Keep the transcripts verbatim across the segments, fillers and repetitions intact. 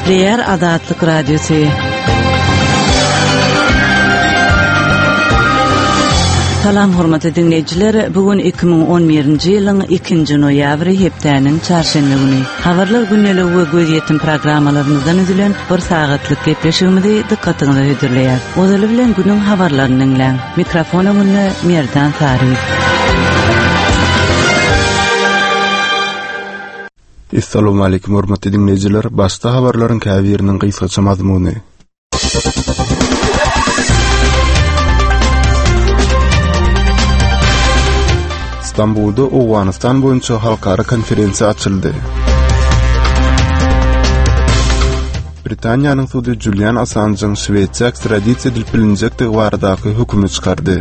Gepleýär Azatlyk Radiosy. Salam hormatly dinleýjiler. Bu gün iki müň on birinji ýylyň ikinji noýabry hepdäniň çarşenbe güni. Habarlar gündeligi we gözýetim programmalarymyzdan üzülen bir sagatlyk gepleşigimizi dykgatyňyza hödürleýär. Ozaly bilen günüň habarlaryny diňläň. Mikrofon öňünde Merdan Saryýew. Assalamu alaykum hormatly dinleýjiler. Başda habarlaryň käbiriniň gysgaça mazmuny. Stambulda Owganystan boýunça halkara konferensiýa açyldy. Britaniýanyň sudy Julian Assange'yň Şwesiýa ekstradisiýa edilip bilinjekdigi baradaky hökümi çykardy.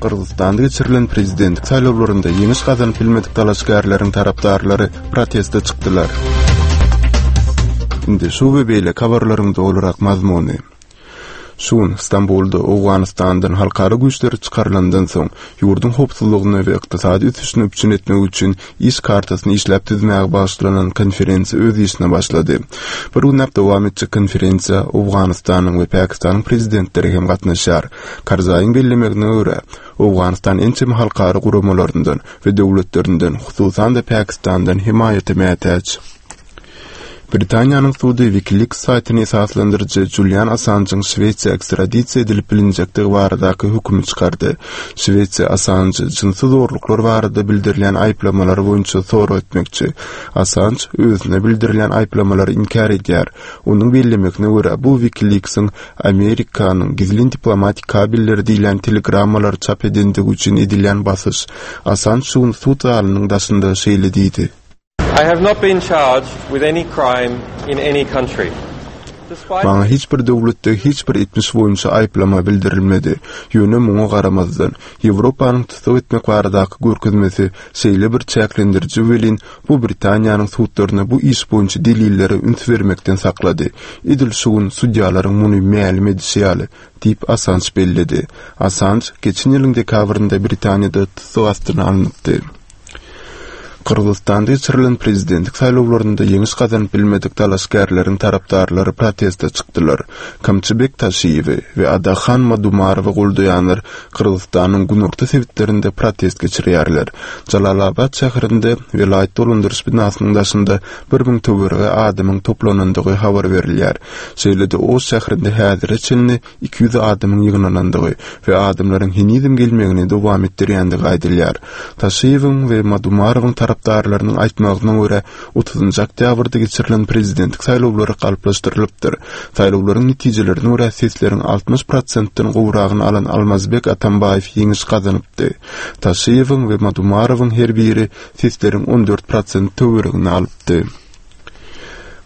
Gyrgyzystanda geçirilen prezidentlik saýlawlarynda ýeňiş gazanyp bilmedik dalaşgärleriň tarapdarlary proteste çykdylar. Indi şu we beýleki habarlaryň dolurak mazmuny. Şu gün Stambulda Owganystandan halkara güýçleri çykarylandan soň ýurduň howpsuzlygyny we ykdysady ösüşini üpjün etmek üçin iş kartasyny işläp düzmäge bagyşlanan konferensiýa öz işine başlady. Bir günläp dowam etjek konferensiýa Owganystanyň we Pakistanyň prezidentleri hem gatnaşýar. Karzaýyň bellemegine görä, Owganystan ençeme halkara guramalaryndan we döwletlerinden, hususan-da Pakistandan hemaýata mätäç. Britaniýanyň sudy WikiLeaks saýtyny esaslandyryjy Julian Assange'yň Şwesiýa ekstradisiýa edilip bilinjekdigi baradaky hökümi çykardy. Şwesiýa Assange jynsy zorluklar barada bildirilýän aýyplamalar boýunça sorag etmekçi. Assange özüne bildirilýän aýyplamalary inkär edýär. Onuň bellemegine görä, bu WikiLeaks'in Amerikanyň gizlin diplomatik kabelleri diýlen telegrammalary çap edendigi üçin edilýän basyş. Assange şu gün sud zalynyň daşynda şeýle diýdi. I have not been charged with any crime in any country. Despite Maňa hiç bir döwletde hiç bir etmiş boýunça aýyplama bildirilmedi. Ýöne muňa garamazdan, Ýewropanyň tussag etmek baradaky görkezmesi şeýle bir çäklendiriji welin, bu Britaniýanyň sudlaryna bu iş boýunça delillere üns bermekden saklady. Edil şu gün sudýalaryň muny mälim edişi ýaly, diýip Assange belledi. Assange geçen ýylyň dekabrynda Britaniýada tussag astyna alnypdy. Gyrgyzystanda geçirilen prezidentlik saýlawlarynda ýeňiş gazanyp bilmedik dalaşgärleriň tarapdarlary proteste çykdylar. Kamçybek Taşiýewi we Adahan Madumarowy goldaýanlar Gyrgyzystanyň günorta sebitlerinde protest geçirýärler. Jalalabad şäherinde welaýat dolandyryş binasynyň daşynda bir müň töweregi adamyň toplanandygy habar berilýär. Şeýle-de Oş şäherinde häzire çenli iki ýüz adamyň ýygnanandygy we adamlaryň henizem gelmegini dowam etdirýändigi aýdylýar. Taşiýewiň we Madumarowyň tarapdarlarynyň aýtmagyna görä, otuzynjy oktýabrda geçirilen prezidentlik saýlawlary galplaşdyrylypdyr. Saýlawlaryň netijelerine görä sesleriň altmyş prosentden gowragyny alan Almazbek Atambaýew ýeňiş gazanypdy. Taşiýewiň we Madumarowyň her biri sesleriň on dört prosent töweregini alypdy.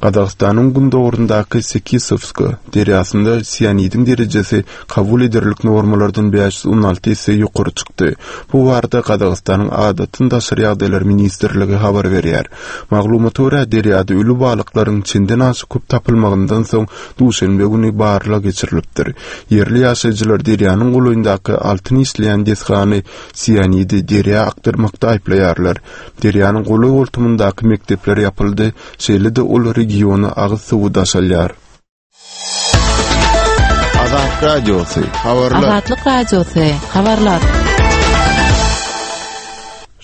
Gazagystanyň gündogrundaky Sekisowska derýasynda sianidiň derejesi kabul ederlik normalardan bäş ýüz on alty esse ýokary çykdy. Bu barada Gazagystanyň Adatdan daşary ýagdaýlar ministrligi habar berýär. Maglumata görä, derýada ölü balyklaryň çenden aşa köp tapylmagyndan soň duşenbe güni barlag geçirilipdir. Ýerli ýaşaýjylar derýanyň golaýyndaky altyn işleýän desgany sianidi derýa akdyrmakda aýyplaýarlar. Derýanyň golaý goltumyndaky mekdepler ýapyldy, şeýle-de ol regiona agyz suwy daşalýar. Azat Radiosy, habarlar. Azatlyk Radiosy, habarlar.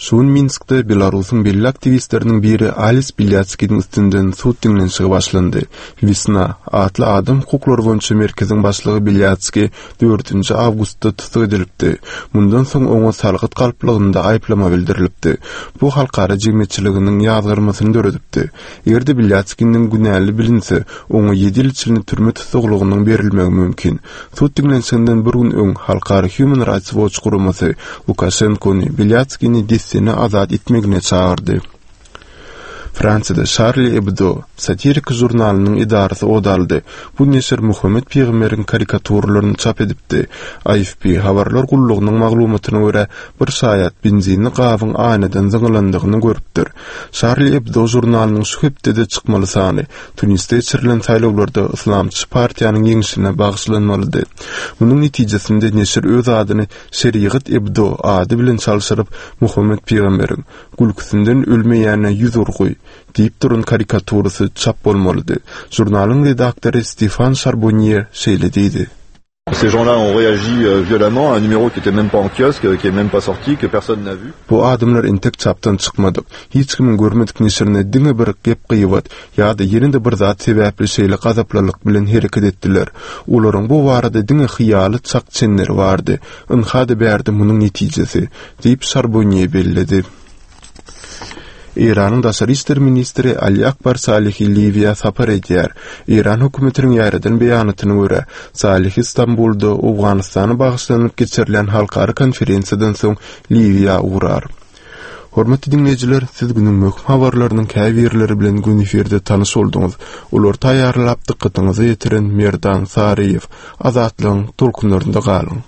Şu gün Minskde Belarusyň belli aktiwistleriniň biri Alis Bilýatskiniň üstünden sud diňlenişigi başlandy. Wisna atly adam hukuklary boýunça merkeziň başlygy Bilýatski dördünji awgustda tussag edilipdi. Mundan soň oňa salgyt galplygynda aýyplama bildirilipdi. Bu halkara jemgyýetçiliginiň ýazgyrmasyny döredipdi. Eger-de Bilýatskiniň günäli bilinse, oňa ýedi ýyl içinde türme tussaglygynyň berilmegi mümkin. Sud diňlenişiginden bir gün öň Halkara Human Rights Watch guramasy Lukashenkony Bilýatskini dessine azat etmegine çagyrdy. Fransiýada Charlie Hebdo satirik žurnalynyň edarasy odaldy. Bu neşir Muhammed Peygamber'in karikaturalaryny çap edipdi. A F P habarlar gullugynyň maglumatyna görä, bir şaýat benzinli gabyň aýnadan zyňylandygyny görüpdir. Charlie Hebdo žurnalynyň şu hepdede çykmaly sany Tunisde geçirilen saýlawlarda Islamçy partiýanyň ýeňşine bagyşlanmalydy. Munuň netijesinde neşir öz adyny Şerigat Ebdo ady bilen çalşyryp, Muhammed Peygamber'in gülküsinden ölmeýäne ýüz urgy diýip duran karikaturasy çap bolmalydy. Žurnalyň redaktory Stefan Charbonnier şeýle diýdi. Ces gens-là ont réagi euh, violemment à un numéro qui était même pas en kiosque, qui est même pas sorti, que personne n'a vu. Bu adamlar entek çapdan çykmadyk. Hiç kimiň görmedik neşirine diňe bir gep-gyýbat ýa-da ýene-de bir zat sebäpli şeýle gazaplylyk bilen hereket etdiler. Olaryň bu barada diňe hyýaly çak-çenleri bardy. Ynha-da bärde munuň netijesi, diýip Charbonnier belledi. Eýranyň daşary işler ministri Ali Akbar Salihi Liwiýa sapar edýär. Eýran hökümetiniň ýaýradan beýanatyna görä, Salihi Stambulda Owganystana bagyşlanyp geçirilen halkara konferensiýadan soň Liwiýa ugrar. Hormatly diňleýjiler, siz günüň möhüm habarlarynyň käbirleri bilen gün efirde tanyş bolduňyz. Olary taýýarlap dykgatyňyza ýetiren Merdan Saryýew. Azatlygyň tolkunlarynda galyň.